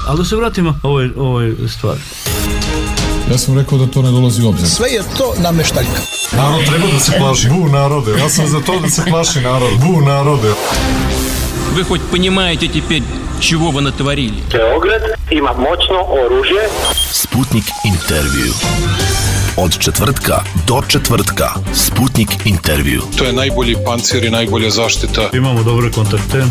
Ali da se vratimo ovoj stvari. Ja sam rekao da to ne dolazi u obzir. Sve je to nameštaljka. Narod treba da se plaši. Bu narode. Ja sam za to da se plaši narod. Bu narode. Вы хоть понимаете теперь, чего вы натворили? Beograd ima moćno oružje. Sputnik intervju. Od četvrtka do četvrtka. Sputnik intervju. To je najbolji pancir i najbolja zaštita. Imamo dobre kontakte.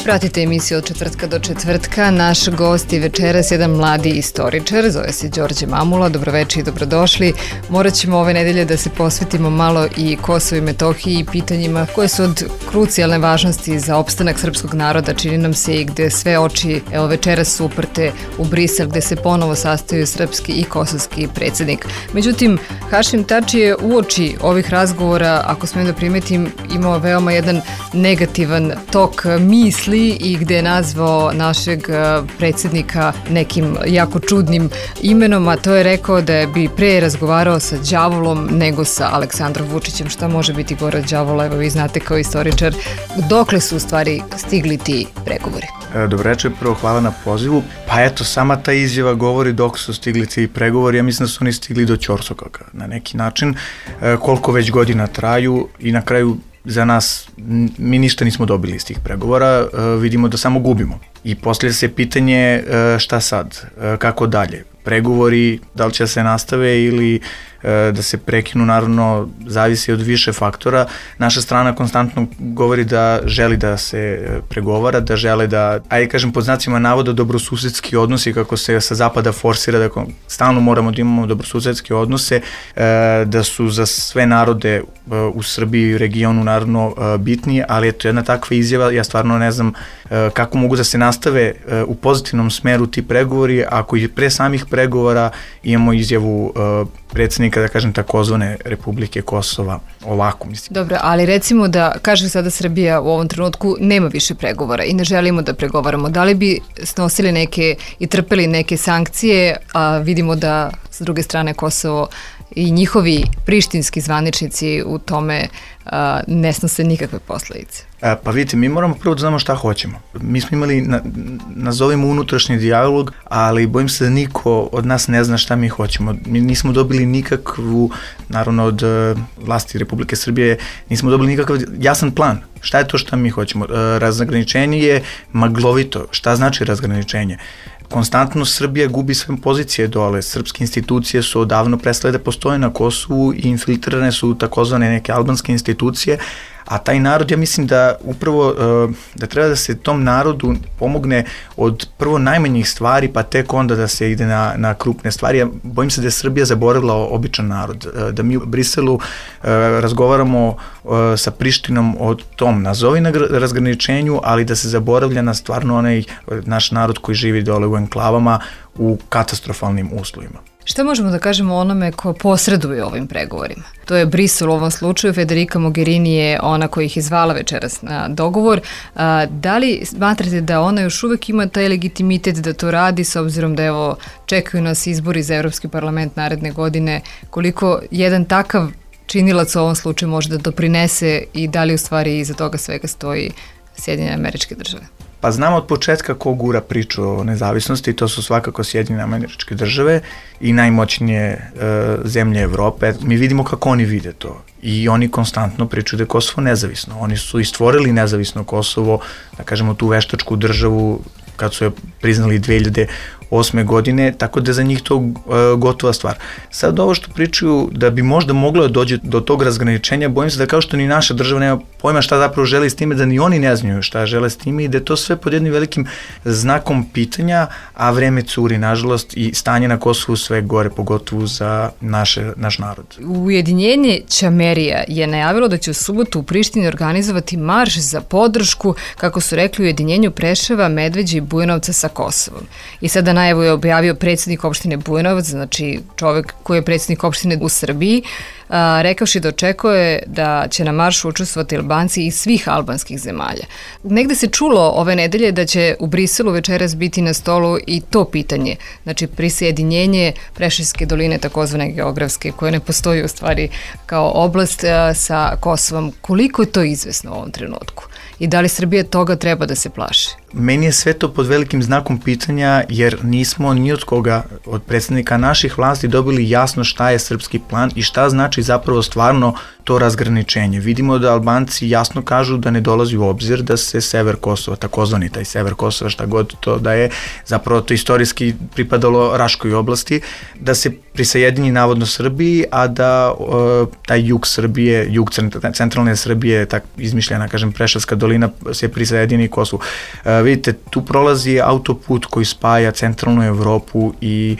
Pratite emisiju od četvrtka do četvrtka. Naš gost je večeras jedan mladi istoričar, zove se Đorđe Mamula. Dobroveče i dobrodošli. Morat ćemo ove nedelje da se posvetimo malo i Kosovu i Metohiji i pitanjima koje su od krucijalne važnosti za opstanak srpskog naroda, čini nam se, i gde sve oči evo večeras su uprte u Brisel, gde se ponovo sastaju srpski i kosovski predsjednik. Međutim, Hašim Tači je uoči ovih razgovora, ako smijem da primetim, imao veoma jedan negativan tok misli i gde je nazvao našeg predsjednika nekim jako čudnim imenom, a to je rekao da bi pre razgovarao sa đavolom nego sa Aleksandrom Vučićem. Šta može biti gore od đavola? Evo, vi znate kao istoričar, dokle su u stvari stigli ti pregovori? Dobro večer, prvo hvala na pozivu. Pa eto, sama ta izjava govori dok su stigli ti pregovori. Ja mislim da su oni stigli do ćorsokaka na neki način, koliko već godina traju i na kraju za nas mi ništa nismo dobili iz tih pregovora, vidimo da samo gubimo. I poslije se pitanje šta sad, kako dalje. Pregovori, da li će se nastave ili da se prekinu, naravno zavisi od više faktora. Naša strana konstantno govori da želi da se pregovara, da žele da, ajde kažem pod znacima navoda, dobrosusedski odnosi, kako se sa zapada forsira, da stalno moramo da imamo dobrosusedske odnose, da su za sve narode u Srbiji i regionu naravno bitni, ali eto jedna takva izjava, ja stvarno ne znam kako mogu da se nastave u pozitivnom smeru ti pregovori ako i pre samih pregovora imamo izjavu predsjednika, da kažem, takozvane Republike Kosova, ovako mislim. Dobro, ali recimo da kaže sada Srbija u ovom trenutku nema više pregovora i ne želimo da pregovaramo. Da li bi snosili neke i trpeli neke sankcije, a vidimo da s druge strane Kosovo i njihovi prištinski zvaničnici u tome ne snose nikakve posledice? Pa vidite, mi moramo prvo da znamo šta hoćemo. Mi smo imali, nazovimo unutrašnji dijalog, ali bojim se da niko od nas ne zna šta mi hoćemo. Mi nismo dobili nikakvu, naravno od vlasti Republike Srbije, nismo dobili nikakav jasan plan. Šta je to šta mi hoćemo? Razgraničenje je maglovito. Šta znači razgraničenje? Konstantno Srbija gubi sve pozicije dole. Srpske institucije su odavno prestale da postoje na Kosovu i infiltrirane su takozvane neke albanske institucije, a taj narod, ja mislim da upravo da treba da se tom narodu pomogne od prvo najmanjih stvari, pa tek onda da se ide na krupne stvari. Ja bojim se da je Srbija zaboravila običan narod, da mi u Briselu razgovaramo sa Prištinom o tom nazovi razgraničenju, ali da se zaboravlja na stvarno onaj naš narod koji živi dole u enklavama u katastrofalnim uslovima. Šta možemo da kažemo o onome ko posreduje ovim pregovorima? To je Brisel u ovom slučaju, Federica Mogherini je ona koja ih je zvala večeras na dogovor. Da li smatrate da ona još uvek ima taj legitimitet da to radi, s obzirom da evo čekaju nas izbori za Evropski parlament naredne godine, koliko jedan takav činilac u ovom slučaju može da doprinese i da li u stvari iza toga svega stoji Sjedinjene Američke Države? Pa znamo od početka ko gura priču o nezavisnosti, to su svakako Sjedinjene Američke Države i najmoćnije zemlje Evrope. Mi vidimo kako oni vide to i oni konstantno pričaju da je Kosovo nezavisno. Oni su i stvorili nezavisno Kosovo, da kažemo tu veštačku državu kad su je priznali 2008. godine, tako da je za njih to gotova stvar. Sad ovo što pričaju da bi možda moglo da dođe do tog razgraničenja, bojim se da kao što ni naša država nema pojma šta zapravo želi s time, da ni oni ne znaju šta žele s time i da je to sve pod jednim velikim znakom pitanja, a vreme curi, nažalost, i stanje na Kosovu sve gore, pogotovo za naš narod. Ujedinjenje Ćamerija je najavilo da će u subotu u Prištini organizovati marš za podršku, kako su rekli, ujedinjenju Preševa, Medveđe i Bujanovca sa Kosovom. I sada najavu je objavio predsjednik opštine Bujanovac, znači čovek koji je predsjednik opštine u Srbiji, rekavši da očekuje da će na maršu učestvovati Albanci iz svih albanskih zemalja. Negde se čulo ove nedelje da će u Briselu večeras biti na stolu i to pitanje, znači prisjedinjenje Preševske doline, takozvane geografske, koje ne postoji u stvari kao oblast, sa Kosovom. Koliko je to izvesno u ovom trenutku? I da li Srbija toga treba da se plaši? Meni je sve to pod velikim znakom pitanja, jer nismo ni od koga, od predstavnika naših vlasti, dobili jasno šta je srpski plan i šta znači zapravo stvarno to razgraničenje. Vidimo da Albanci jasno kažu da ne dolazi u obzir da se sever Kosova, takozvani taj sever Kosova, šta god to da je, zapravo to istorijski pripadalo Raškoj oblasti, da se prisajedini navodno Srbiji, a da taj jug Srbije, jug centralne Srbije, tak izmišljena, kažem, Preševska dolina, se prisajedini Kosovu. Vidite, tu prolazi autoput koji spaja centralnu Evropu i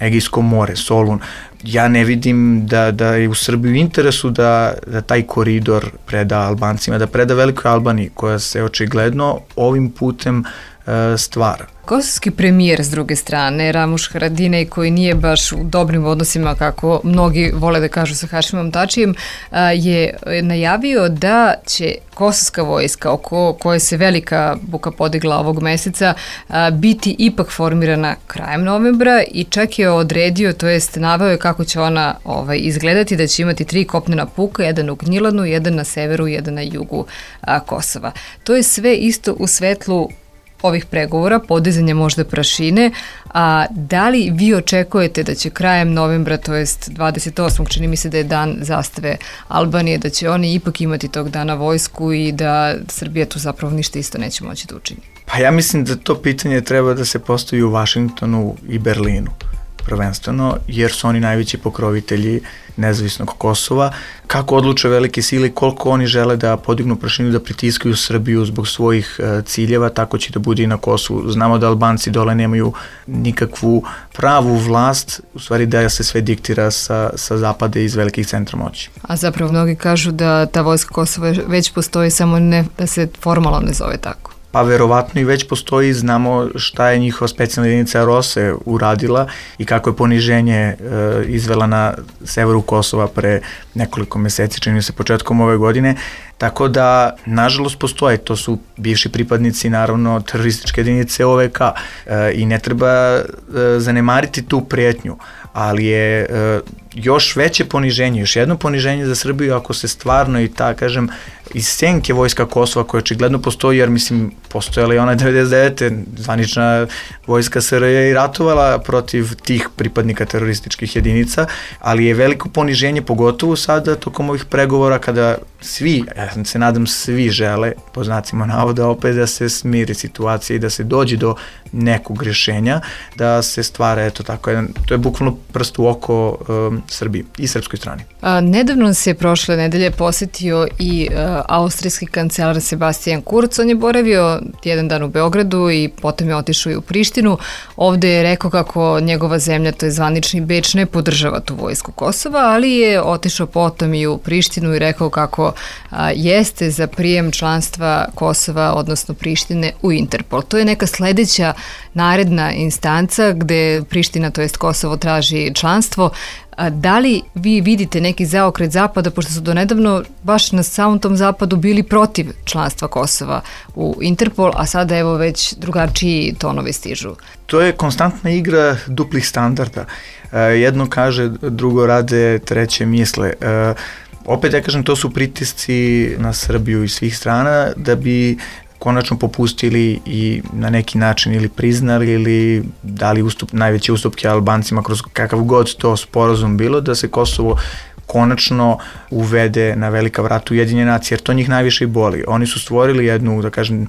Egejsko more, Solun. Ja ne vidim da je u Srbiji u interesu da taj koridor preda Albancima, da preda Velikoj Albaniji, koja se očigledno ovim putem stvara. Kosovski premijer, s druge strane, Ramuš Haradinaj, koji nije baš u dobrim odnosima, kako mnogi vole da kažu, sa Hašimom Tačijem, je najavio da će kosovska vojska, oko koje se velika buka podigla ovog meseca, biti ipak formirana krajem novembra i čak je odredio, to jest naveo je kako će ona izgledati, da će imati 3 kopnena puka, jedan u Gnjilanu, jedan na severu, jedan na jugu Kosova. To je sve isto u svetlu ovih pregovora, podizanje možda prašine, a da li vi očekujete da će krajem novembra, to jest 28. čini mi se da je dan zastave Albanije, da će oni ipak imati tog dana vojsku i da Srbija tu zapravo ništa isto neće moći da učini? Pa ja mislim da to pitanje treba da se postavi u Vašingtonu i Berlinu prvenstveno, jer su oni najveći pokrovitelji nezavisnog Kosova. Kako odluče velike sile, koliko oni žele da podignu prašinu, da pritiskaju Srbiju zbog svojih ciljeva, tako će da bude i na Kosovu. Znamo da Albanci dole nemaju nikakvu pravu vlast, u stvari da se sve diktira sa zapada iz velikih centra moći. A zapravo mnogi kažu da ta vojska Kosova već postoji, samo ne da se formalno ne zove tako. Pa verovatno i već postoji, znamo šta je njihova specijalna jedinica ROSE uradila i kako je poniženje izvela na severu Kosova pre nekoliko meseci, čini se početkom ove godine, tako da nažalost postoje, to su bivši pripadnici naravno terorističke jedinice OVK i ne treba zanemariti tu prijetnju, ali je još veće poniženje, još jedno poniženje za Srbiju ako se stvarno i kažem, iz senke vojska Kosova koja očigledno postoji, jer mislim postojala je ona 99. zvanična vojska SRJ i ratovala protiv tih pripadnika terorističkih jedinica, ali je veliko poniženje pogotovo sada tokom ovih pregovora kada svi, ja se nadam svi žele, po znacima navoda, opet da se smiri situacija i da se dođe do nekog rješenja, da se stvara, eto tako, to je bukvalno prst u oko Srbiji i srpskoj strani. Nedavno se prošle nedelje posetio i austrijski kancelar Sebastian Kurz. On je boravio jedan dan u Beogradu i potom je otišao i u Prištinu. Ovde je rekao kako njegova zemlja, to je zvanični Beč, ne podržava tu vojsku Kosova, ali je otišao potom i u Prištinu i rekao kako jeste za prijem članstva Kosova, odnosno Prištine, u Interpol. To je neka sledeća naredna instanca gde Priština, to jest Kosovo, traži članstvo. Da li vi vidite neki zaokret Zapada, pošto su donedavno baš na samom tom Zapadu bili protiv članstva Kosova u Interpol, a sada evo već drugačiji tonovi stižu? To je konstantna igra duplih standarda. Jedno kaže, drugo rade, treće misle. Opet ja kažem, to su pritisci na Srbiju iz svih strana da bi konačno popustili i na neki način ili priznali ili dali najveće ustupke Albancima kroz kakav god to sporazum bilo, da se Kosovo konačno uvede na velika vrata Ujedinjene nacije, jer to njih najviše i boli. Oni su stvorili jednu, da kažem,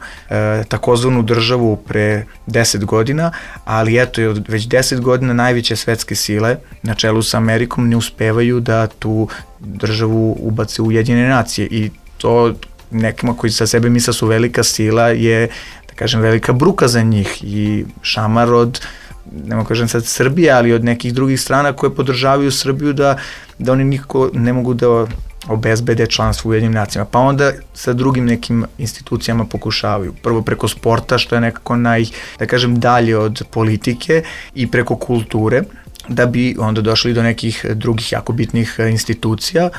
takozvanu državu pre 10 godina, ali eto, već 10 godina najveće svetske sile na čelu sa Amerikom ne uspevaju da tu državu ubace u Ujedinjene nacije i to nekima koji sa sebe misle su velika sila je, da kažem, velika bruka za njih i šamar od, nemo kažem sad Srbije, ali od nekih drugih strana koje podržavaju Srbiju da oni nikako ne mogu da obezbede članstvo u Ujedinjenim nacijama, pa onda sa drugim nekim institucijama pokušavaju. Prvo preko sporta, što je nekako dalje od politike, i preko kulture, da bi onda došli do nekih drugih jako bitnih institucija,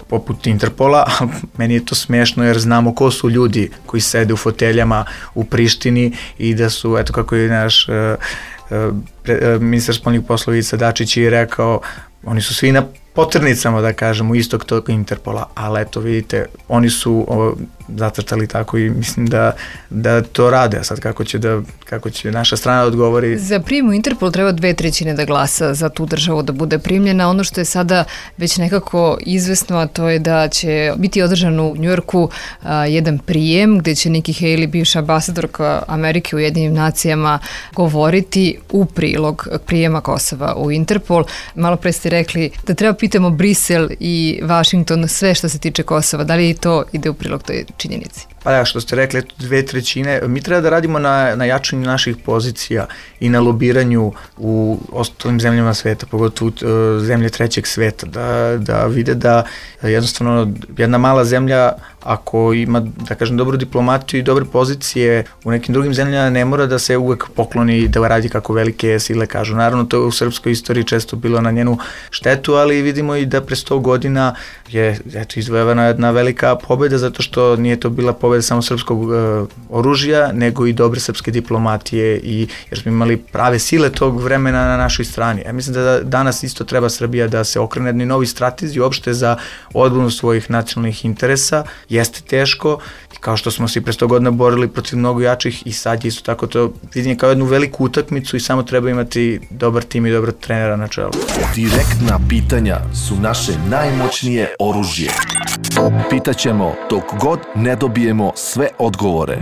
poput Interpola, a meni je to smešno jer znamo ko su ljudi koji sede u foteljama u Prištini i da su, eto kako je naš ministar spoljnih poslova Ivica Dačić je rekao, oni su svi na poternicama, da kažemo, istog tog Interpola, ali eto vidite, oni su zacrtali tako i mislim da to rade. A sad kako će naša strana odgovori. Za prijem u Interpol treba 2/3 da glasa za tu državu da bude primljena. Ono što je sada već nekako izvesno, a to je da će biti održan u Njujorku jedan prijem gde će Nikki Haley, bivša ambasadorka Amerike u Ujedinjenim nacijama, govoriti u prilog prijema Kosova u Interpol. Malo pre ste rekli da treba pitamo Brisel i Washington sve što se tiče Kosova. Da li to ide u prilog toj činjenici? Pa da, što ste rekli, 2/3, mi treba da radimo na jačanju naših pozicija i na lobiranju u ostalim zemljama sveta, pogotovo zemlje trećeg sveta, da vide da jednostavno jedna mala zemlja, ako ima, da kažem, dobru diplomatiju i dobre pozicije u nekim drugim zemljama, ne mora da se uvek pokloni da radi kako velike sile kažu. Naravno, to je u srpskoj istoriji često bilo na njenu štetu, ali vidimo i da pre 100 godina je izvojevana jedna velika pobeda, zato što nije to bila pobeda samo srpskog oružja, nego i dobre srpske diplomatije, jer smo imali prave sile tog vremena na našoj strani. Ja mislim da danas isto treba Srbija da se okrene jednoj novi strategiji uopšte za odbranu svojih nacionalnih interesa. Jeste teško, kao što smo se pre 100 godina borili protiv mnogo jačih, i sad je isto tako to vidim kao jednu veliku utakmicu i samo treba imati dobar tim i dobrog trenera na čelu. Direktna pitanja su naše najmoćnije oružje. Pitaćemo dok god ne dobijemo sve odgovore.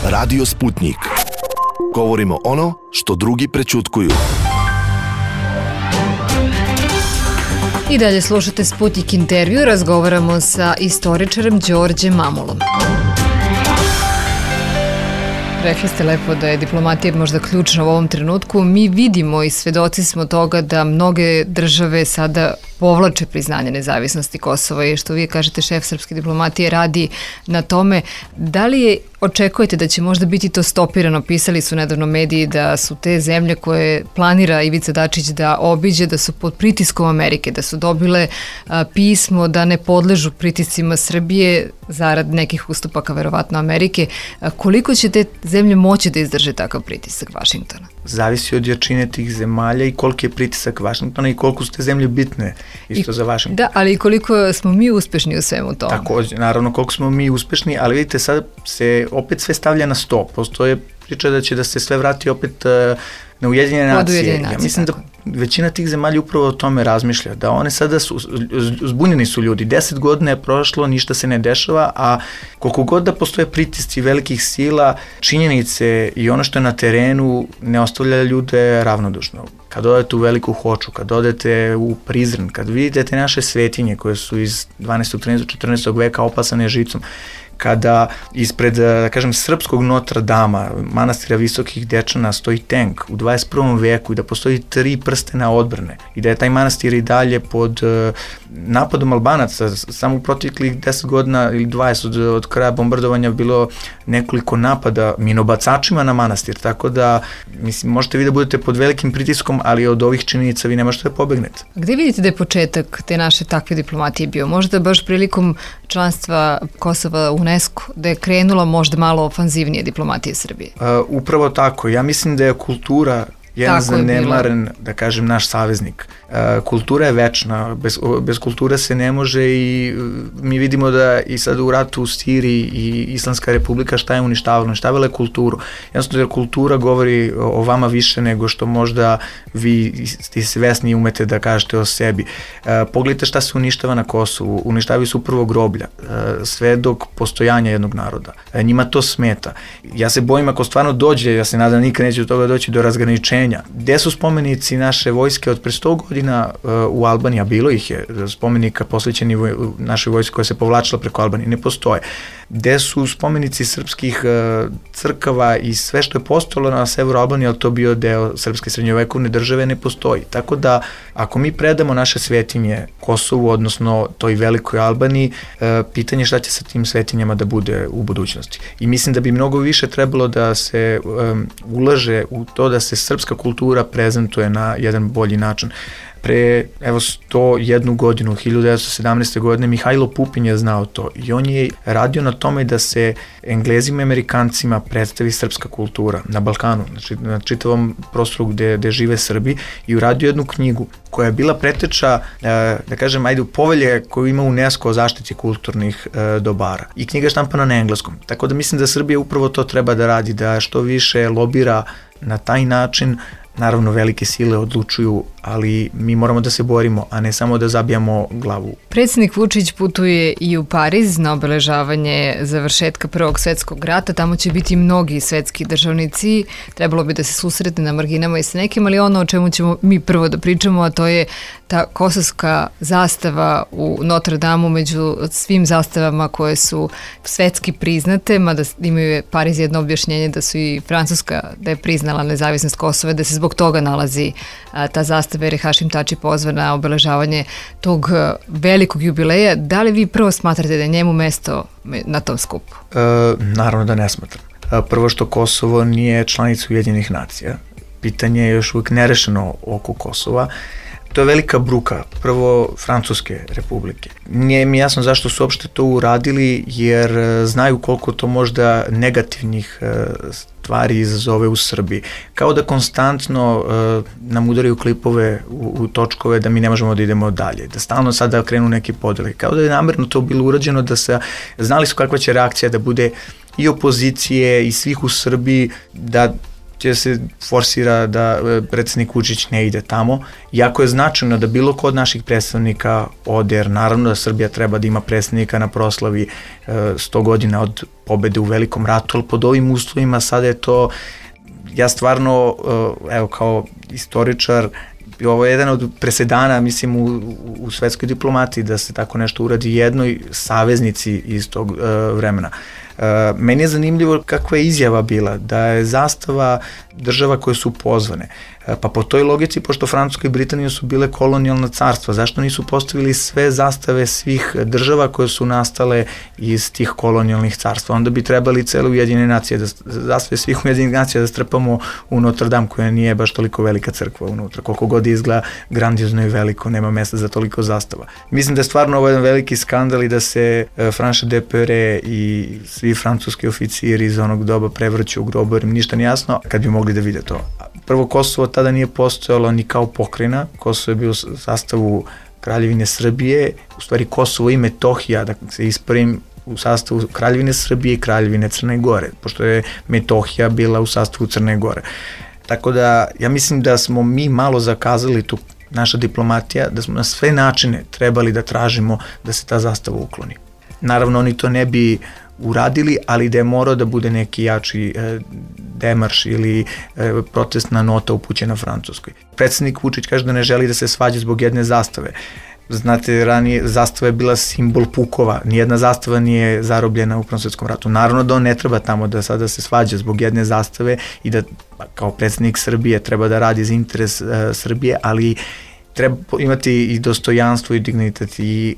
Radio Sputnik. Govorimo ono što drugi prećutkuju. I dalje slušate Sputnik intervju, razgovaramo sa istoričarem Đorđem Mamulom. Rekli ste lepo da je diplomatija možda ključna u ovom trenutku. Mi vidimo i svedoci smo toga da mnoge države sada povlače priznanje nezavisnosti Kosova i što vi kažete, šef srpske diplomatije radi na tome. Da li očekujete da će možda biti to stopirano? Pisali su nedavno mediji da su te zemlje koje planira Ivica Dačić da obiđe, da su pod pritiskom Amerike, da su dobile pismo da ne podležu pritiscima Srbije zarad nekih ustupaka verovatno Amerike. Koliko će te zemlje moći da izdrže takav pritisak Vašingtona? Zavisi od jačine tih zemalja i koliki je pritisak Vašingtona i koliko su te zemlje bitne isto za Vašington. Da, ali koliko smo mi uspešni u svemu tome? Takođe, naravno koliko smo mi uspešni, ali vidite sad se opet sve stavlja na sto. Postoje priča da će da se sve vrati opet na Ujedinjene nacije. Ja mislim da većina tih zemalja upravo o tome razmišlja, da one sada zbunjeni su ljudi, 10 godina je prošlo, ništa se ne dešava, a koliko god da postoje pritisci velikih sila, činjenice i ono što je na terenu ne ostavlja ljude ravnodušno. Kad odete u Veliku Hoču, kad odete u Prizren, kad vidite te naše svetinje koje su iz 12. 13. 14. veka opasane žicom, kada ispred, da kažem, srpskog Notre Dama, manastira Visokih Dečana, stoji tank u 21. veku i da postoji 3 prstena odbrane i da je taj manastir i dalje pod napadom Albanaca, samo u proteklih 10 godina ili 20 od kraja bombardovanja bilo nekoliko napada minobacačima na manastir, tako da, mislim, možete vi da budete pod velikim pritiskom, ali od ovih činjenica vi ne možete da pobegnete. Gde vidite da je početak te naše takve diplomatije bio? Možda baš prilikom članstva Kosova u UNESCO, da je krenula možda malo ofanzivnije diplomatije Srbije? Upravo tako. Ja mislim da je kultura jedan zanemaren, da kažem, naš saveznik. Kultura je večna, bez kulture se ne može i mi vidimo da i sad u ratu u Siriji i Islamska republika šta je uništavala? Uništavala je kulturu. Jednostavno jer kultura govori o vama više nego što možda vi ste svesni umete da kažete o sebi. Pogledajte šta se uništava na Kosovu. Uništavaju se upravo groblja, sve dok postojanja jednog naroda. Njima to smeta. Ja se bojim ako stvarno dođe, ja se nadam nikad neće do toga doći do razgraničenja rešenja. Gde su spomenici naše vojske od pre 100 godina u Albaniji, a bilo ih je spomenika posvećeni našoj vojske koja se povlačila preko Albanije, ne postoje. Gde su spomenici srpskih crkava i sve što je postojalo na severu Albanije, ali to bio deo srpske srednjovekovne države, ne postoji. Tako da, ako mi predamo naše svetinje Kosovu, odnosno toj velikoj Albaniji, pitanje šta će sa tim svetinjama da bude u budućnosti. I mislim da bi mnogo više trebalo da se ulaže u to da se srpska kultura prezentuje na jedan bolji način. Pre, 101 godinu, 1917. godine, Mihajlo Pupin je znao to i on je radio na tome da se Englezima i Amerikancima predstavi srpska kultura na Balkanu, znači na čitavom prostoru gde žive Srbi, i uradio jednu knjigu koja je bila preteča, da kažem, u povelje koju ima UNESCO o zaštiti kulturnih dobara. I knjiga je štampana na engleskom. Tako da mislim da Srbija upravo to treba da radi, da što više lobira na taj način. Naravno, velike sile odlučuju, ali mi moramo da se borimo, a ne samo da zabijamo glavu. Predsjednik Vučić putuje i u Pariz na obeležavanje završetka Prvog svetskog rata. Tamo će biti mnogi svetski državnici. Trebalo bi da se susretne na marginama i sa nekim, ali ono o čemu ćemo mi prvo da pričamo, a to je ta kosovska zastava u Notre Dameu među svim zastavama koje su svetski priznate, mada imaju Pariz jedno objašnjenje da su i Francuska, da je priznala nezavisnost Kosova, da se zbog toga nalazi ta zastava, jer je Hašim Tači pozvan na obeležavanje tog velikog jubileja. Da li vi prvo smatrate da je njemu mesto na tom skupu? Naravno da ne smatram. Prvo što Kosovo nije članica Ujedinjenih nacija. Pitanje je još uvijek nerešeno oko Kosova. To je velika bruka, prvo Francuske republike. Nije mi jasno zašto su uopšte to uradili, jer znaju koliko to možda negativnih stvari izazove u Srbiji. Kao da konstantno nam udaraju klipove u točkove da mi ne možemo da idemo dalje, da stalno sada krenu neki podeli. Kao da je namerno to bilo urađeno, da se znali su kakva će reakcija da bude i opozicije i svih u Srbiji, da će se forsira da predsjednik Vučić ne ide tamo. Jako je značajno da bilo ko od naših predstavnika ode, jer naravno da Srbija treba da ima predstavnika na proslavi 100 godina od pobede u Velikom ratu, ali pod ovim uslovima sada je to, ja stvarno, kao istoričar, ovo je jedan od presedana, mislim, u svetskoj diplomati da se tako nešto uradi jednoj saveznici iz tog vremena. Meni je zanimljivo kakva je izjava bila, da je zastava država koje su pozvane. Pa po toj logici, pošto Francuska i Britanija su bile kolonijalna carstva, zašto nisu postavili sve zastave svih država koje su nastale iz tih kolonijalnih carstva? Onda bi trebali cele Ujedinjene nacije, zastave svih Ujedinjenih nacija da strpamo u Notre Dame, koja nije baš toliko velika crkva unutra. Koliko god izgleda grandiozno i veliko, nema mesta za toliko zastava. Mislim da je stvarno ovo jedan veliki skandal i da se Franche de Perret i svi francuski oficiri iz onog doba prevrću u grobu, jer im ništa nije jasno, kad bi mogli da vide to. Prvo, Kosovo tada nije postojalo ni kao pokrajina, Kosovo je bio u sastavu Kraljevine Srbije, u stvari Kosovo i Metohija, da se ispravim, u sastavu Kraljevine Srbije i Kraljevine Crne Gore, pošto je Metohija bila u sastavu Crne Gore. Tako da, ja mislim da smo mi malo zakazali tu, naša diplomatija, da smo na sve načine trebali da tražimo da se ta zastava ukloni. Naravno, oni to ne bi uradili, ali da je morao da bude neki jači demarš ili protestna nota upućena Francuskoj. Predsjednik Vučić kaže da ne želi da se svađa zbog jedne zastave. Znate, ranije zastava je bila simbol pukova, nijedna zastava nije zarobljena u Prvom svetskom ratu. Naravno da on ne treba tamo da sada se svađa zbog jedne zastave i da kao predsjednik Srbije treba da radi za interes Srbije, ali treba imati i dostojanstvo i dignitet i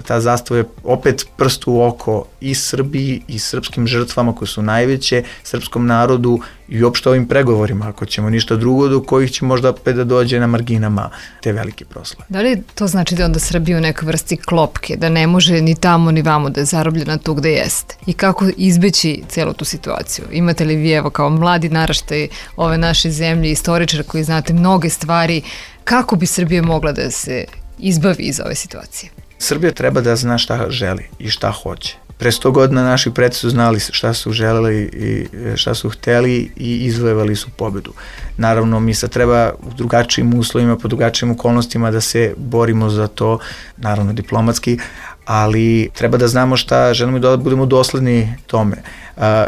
ta zastava je opet prst u oko i Srbiji i srpskim žrtvama koje su najveće, srpskom narodu i uopšte ovim pregovorima, ako ćemo ništa drugo, do kojih će možda opet da dođe na marginama te velike proslave. Da li to znači da onda Srbija u nekoj vrsti klopke, da ne može ni tamo ni vamo da je zarobljena tu gde jeste? I kako izbeći celu tu situaciju? Imate li vi, evo, kao mladi naraštaj ove naše zemlje, istoričar koji znate mnoge stvari, kako bi Srbija mogla da se izbavi iz ove situacije? Srbija treba da zna šta želi i šta hoće. Pre 100 godina naši preci su znali šta su želeli i šta su hteli i izvojevali su pobedu. Naravno, mi sad treba u drugačijim uslovima, po drugačijim okolnostima da se borimo za to, naravno diplomatski, ali treba da znamo šta želimo, da budemo dosledni tome.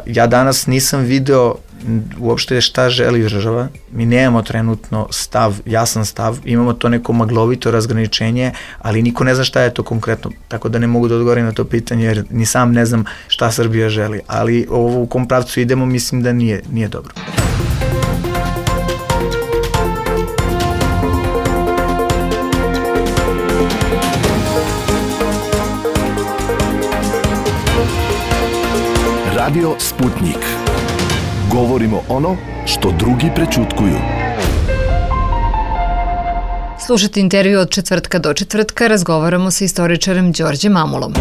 Ja danas nisam video uopšte šta želi država. Mi nemamo trenutno jasan stav, imamo to neko maglovito razgraničenje, ali niko ne zna šta je to konkretno, tako da ne mogu da odgovorim na to pitanje, jer ni sam ne znam šta Srbija želi, ali ovo u kom pravcu idemo mislim da nije dobro. Radio Sputnik. Govorimo ono što drugi prećutkuju. Slušajte intervju od četvrtka do četvrtka, razgovaramo sa istoričarem Đorđem Mamulom.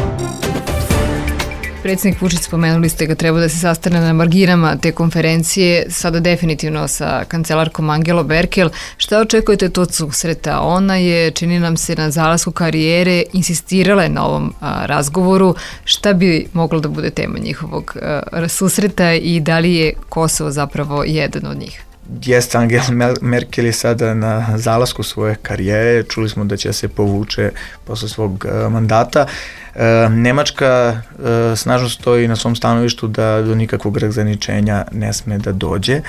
Predsjednik Vučić, spomenuli ste ga, treba da se sastane na marginama te konferencije, sada definitivno sa kancelarkom Angelom Merkel. Šta očekujete od susreta? Ona je, čini nam se, na zalasku karijere insistirala na ovom razgovoru. Šta bi moglo da bude tema njihovog susreta i da li je Kosovo zapravo jedan od njih? Jeste, Angela Merkel je sada na zalasku svoje karijere, čuli smo da će se povuče posle svog mandata. Nemačka snažno stoji na svom stanovištu da do nikakvog razgraničenja ne sme da dođe.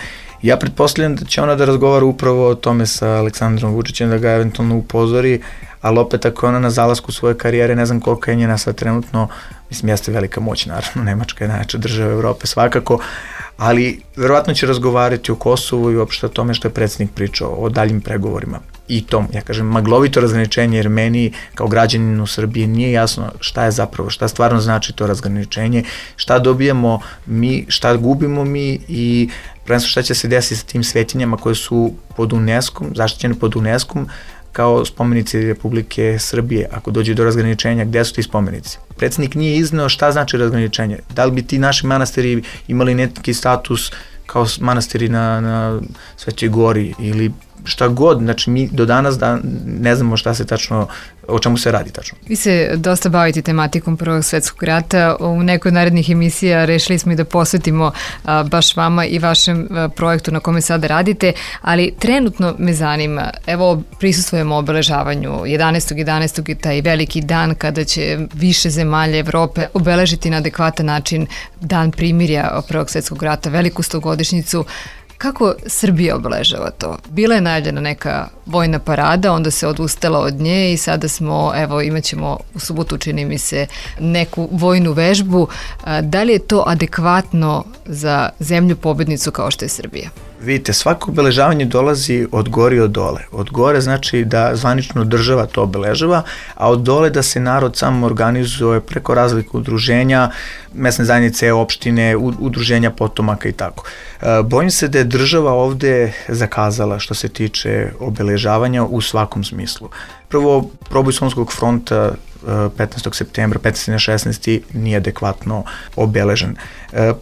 Ja pretpostavljam da će ona da razgovara upravo o tome sa Aleksandrom Vučićem, da ga eventualno upozori, ali opet ako je ona na zalasku svoje karijere, ne znam koliko je njena sad trenutno, mislim, jeste velika moć, naravno, Nemačka je najjača država Evrope svakako, ali verovatno će razgovarati o Kosovu i uopšte o tome što je predsjednik pričao, o daljim pregovorima. I to, ja kažem, maglovito razgraničenje, jer meni kao građanin u Srbiji nije jasno šta je zapravo, šta stvarno znači to razgraničenje, šta dobijamo mi, šta gubimo mi i prvenstveno šta će se desiti sa tim svetinjama koje su pod UNESCO-om, zaštićene pod UNESCO-om, kao spomenici Republike Srbije. Ako dođe do razgraničenja, gde su ti spomenici? Predsjednik nije izneo šta znači razgraničenje. Da li bi ti naši manastiri imali neki status kao manastiri na Svetoj Gori ili šta god, znači mi do danas ne znamo šta se tačno, o čemu se radi tačno. Vi se dosta bavite tematikom Prvog svetskog rata. U nekoj narednih emisija rešili smo i da posvetimo baš vama i vašem projektu na kome sada radite, ali trenutno me zanima, evo prisustvujemo obeležavanju 11.11. i taj veliki dan kada će više zemalja Evrope obeležiti na adekvatan način dan primirja Prvog svetskog rata, veliku 100-godišnjicu. Kako Srbija obeležava to? Bila je najavljena neka vojna parada, onda se odustala od nje i sada smo, evo, imat ćemo u subotu, čini mi se, neku vojnu vežbu. Da li je to adekvatno za zemlju pobednicu kao što je Srbija? Vidite, svako obeležavanje dolazi od gore i od dole. Od gore znači da zvanično država to obeležava, a od dole da se narod sam organizuje preko razlika udruženja, mesne zajednice, opštine, udruženja potomaka i tako. Bojim se da je država ovde zakazala što se tiče obeležavanja u svakom smislu. Prvo, proboj Solunskog fronta 15. septembra, 15. na 16. nije adekvatno obeležen.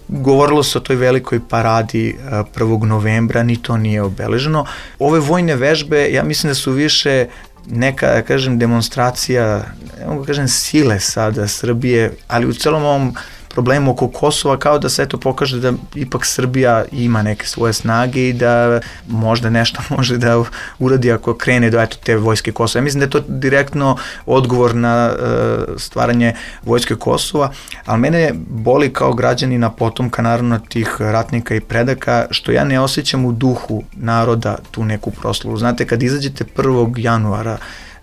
Govorilo se o toj velikoj paradi 1. novembra, ni to nije obeleženo. Ove vojne vežbe, ja mislim da su više neka, da kažem, demonstracija, ne mogu da kažem sile sada Srbije, ali u celom ovom problemu oko Kosova kao da se to pokaže da ipak Srbija ima neke svoje snage i da možda nešto može da uradi ako krene do te vojske Kosova. Ja mislim da je to direktno odgovor na stvaranje vojske Kosova, ali mene boli kao građanina potomka naravno tih ratnika i predaka što ja ne osjećam u duhu naroda tu neku proslavu. Znate, kad izađete 1. januara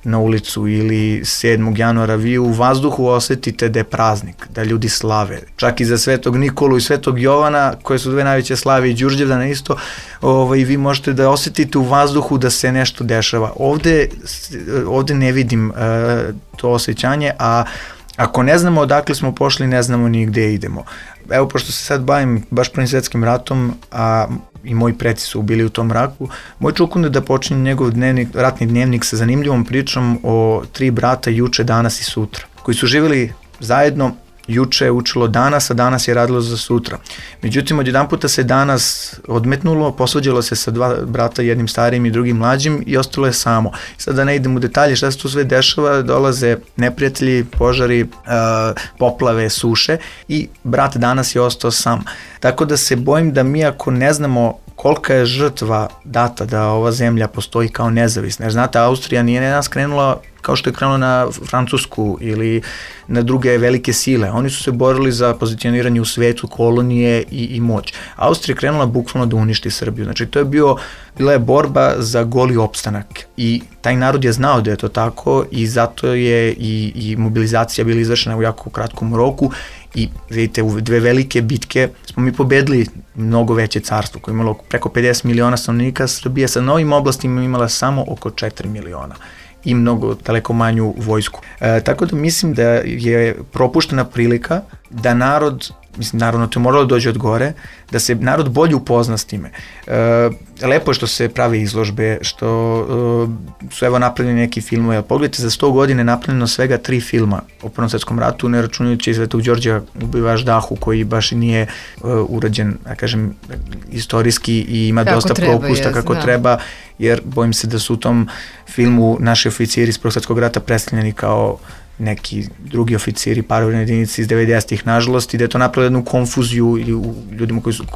na ulicu ili 7. januara, vi u vazduhu osetite da je praznik, da ljudi slave. Čak i za Svetog Nikolu i Svetog Jovana, koje su dve najveće slave, i Đurđevdana isto, vi možete da osetite u vazduhu da se nešto dešava. Ovde ne vidim to osjećanje, a ako ne znamo odakle smo pošli, ne znamo ni gde idemo. Evo, pošto se sad bavim baš Prvim svetskim ratom, a i moji preci su bili u tom raku, moj čukun je da počinje njegov ratni dnevnik sa zanimljivom pričom o 3 brata juče, danas i sutra, koji su živjeli zajedno. Juče je učilo danas, a danas je radilo za sutra. Međutim, odjedan puta se danas odmetnulo, posvađalo se sa 2 brata, jednim starijim i drugim mlađim, i ostalo je samo. Sad da ne idem u detalje šta se tu sve dešava, dolaze neprijatelji, požari, poplave, suše i brat danas je ostao sam. Tako da se bojim da mi ako ne znamo kolika je žrtva data da ova zemlja postoji kao nezavisna. Jer znate, Austrija nije nas krenula kao što je krenulo na Francusku ili na druge velike sile. Oni su se borili za pozicioniranje u svetu, kolonije i moć. Austrija je krenula bukvalno da uništi Srbiju. Znači, to je bila je borba za goli opstanak i taj narod je znao da je to tako i zato je i mobilizacija bila izvršena u jako kratkom roku i vidite, u dve velike bitke smo mi pobedili mnogo veće carstvo koje je imalo preko 50 miliona stanovnika. Srbija sa novim oblastima imala samo oko 4 miliona i mnogo daleko manju vojsku. Tako da mislim da je propuštena prilika da narod, mislim, naravno to je moralo dođe od gore, da se narod bolje upozna s time. Lepo je što se prave izložbe, što su evo napravljeni neki filmovi. Pogledajte, za 100 godine napravljeno svega 3 filma o Prvom svetskom ratu, ne računajući Svetog Đorđa ubivač Dahu, koji baš i nije urađen, da kažem, istorijski i ima kako dosta propusta kako treba, jer bojim se da su u tom filmu naši oficiri iz Prvog svetskog rata predstavljeni kao neki drugi oficiri, paravojne jedinice iz 90-ih, nažalost, i da je to napravilo jednu konfuziju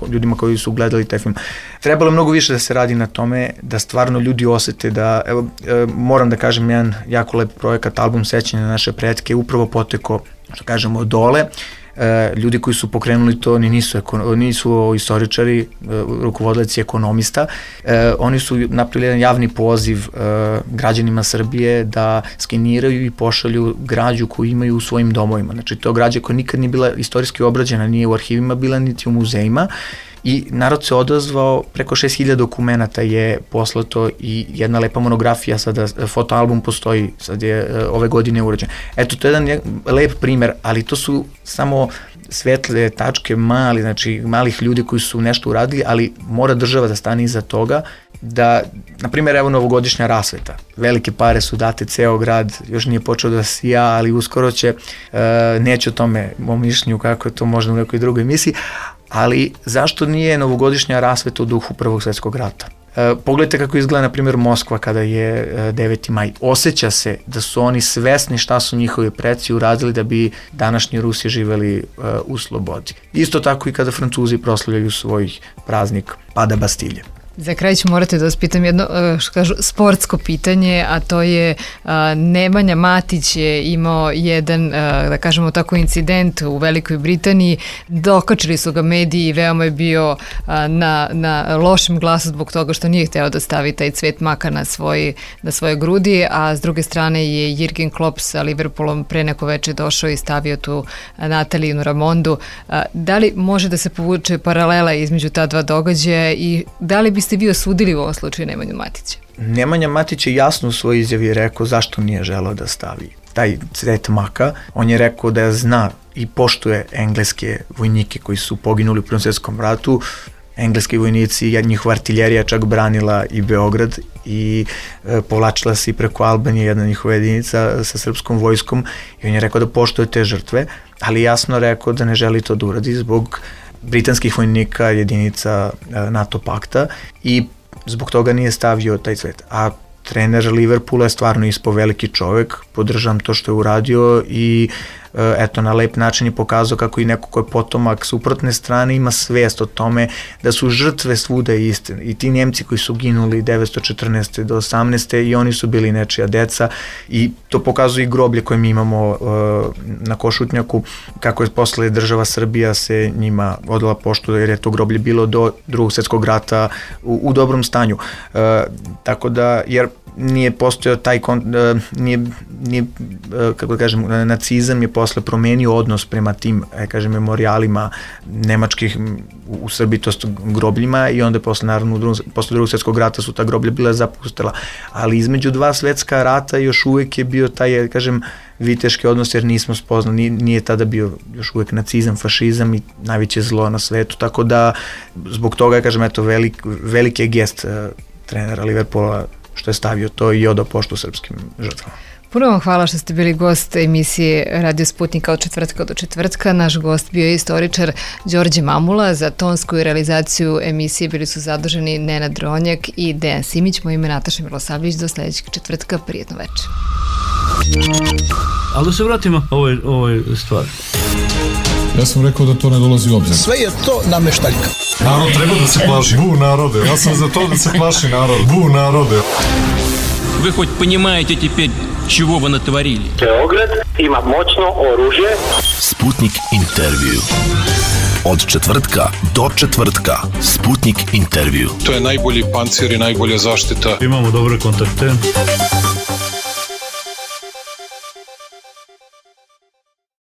ljudima koji su gledali taj film. Trebalo je mnogo više da se radi na tome, da stvarno ljudi osete da, evo, moram da kažem, jedan jako lep projekat, album sećanja na naše pretke, upravo poteko, što kažemo, od dole. Ljudi koji su pokrenuli to nisu istoričari, rukovodioci ekonomista. Oni su napravili jedan javni poziv građanima Srbije da skeniraju i pošalju građu koju imaju u svojim domovima. Znači, to građa koja nikad nije bila istorijski obrađena, nije u arhivima bila, niti u muzejima. I narod se odazvao, preko 6000 dokumenata je poslato i jedna lepa monografija, sada fotoalbum postoji, sad je ove godine urađen. Eto, to je jedan lep primer, ali to su samo svetle tačke malih ljudi koji su nešto uradili, ali mora država da stane iza toga, da, na primjer, evo novogodišnja rasveta. Velike pare su date, ceo grad još nije počeo da sija, ali uskoro će, neće o tome, mom mišljenju, kako je to možda u nekoj drugoj emisiji, ali zašto nije novogodišnja rasveta u duhu Prvog svetskog rata? Pogledajte kako izgleda, na primjer, Moskva kada je 9. maj. Osjeća se da su oni svesni šta su njihovi preci uradili da bi današnji Rusi živeli u slobodi. Isto tako i kada Francuzi proslavljaju svoj praznik pada Bastilje. Za kraj ću morati da vas pitam jedno, što kažu, sportsko pitanje, a to je Nemanja Matić je imao jedan, da kažemo tako, incident u Velikoj Britaniji. Dokačili su ga mediji i veoma je bio na lošem glasu zbog toga što nije hteo da stavi taj cvet maka na svoje grudi, a s druge strane je Jürgen Klopp sa Liverpoolom pre neko veče došao i stavio tu Natalijinu Ramondu. Da li može da se povuče paralela između ta dva događaja i da li biste vi osudili u ovom slučaju Nemanju Matića? Nemanja Matić je jasno u svojoj izjavi rekao zašto nije želeo da stavi taj cvet maka. On je rekao da zna i poštuje engleske vojnike koji su poginuli u Prvom svetskom ratu. Engleski vojnici, njihova artiljerija čak branila i Beograd i povlačila se i preko Albanije jedna njihova jedinica sa srpskom vojskom i on je rekao da poštuje te žrtve, ali jasno rekao da ne želi to da uradi zbog britanskih vojnika, jedinica NATO pakta i zbog toga nije stavio taj cvet. A trener Liverpoola je stvarno ispao veliki čovek, podržavam to što je uradio i eto, na lep način je pokazao kako i neko ko je potomak suprotne strane ima svest o tome da su žrtve svuda iste. I ti Njemci koji su ginuli 1914. do 18. i oni su bili nečija deca i to pokazuje i groblje koje mi imamo na Košutnjaku, kako je posle država Srbija se njima odala poštu jer je to groblje bilo do Drugog svjetskog rata u dobrom stanju. Tako da, jer nije postojao taj, kako da kažem, nacizam je posle promenio odnos prema tim, kažem, memorijalima nemačkih u Srbiji, to su grobljima i onda posle, naravno, posle Drugog svjetskog rata su ta groblja bila zapustila. Ali između dva svetska rata još uvek je bio taj, kažem, viteški odnos jer nismo spoznali, nije tada bio još uvek nacizam, fašizam i najveće zlo na svetu, tako da zbog toga, kažem, eto, veliki je gest trenera Liverpoola što je stavio to i odao poštu srpskim žrtvama. Puno vam hvala što ste bili gost emisije Radio Sputnika od četvrtka do četvrtka. Naš gost bio je istoričar Đorđe Mamula. Za tonsku i realizaciju emisije bili su zaduženi Nenad Ronjak i Dejan Simić. Moje ime Nataša Milosavljević. Do sledećeg četvrtka. Prijetno večer. Ali da se vratimo ovoj stvari. Ja sam rekao da to ne dolazi u obzir. Sve je to nameštaljka. Narod treba da se plaši. Bu narode. Ja sam za to da se plaši narod. Bu narode. Вы хоть понимаете теперь, чего вы натворили? Beograd ima moćno oružje. Sputnik intervju. Od četvrtka do četvrtka. Sputnik intervju. To je najbolji pancir i najbolja zaštita. Imamo dobre kontakte.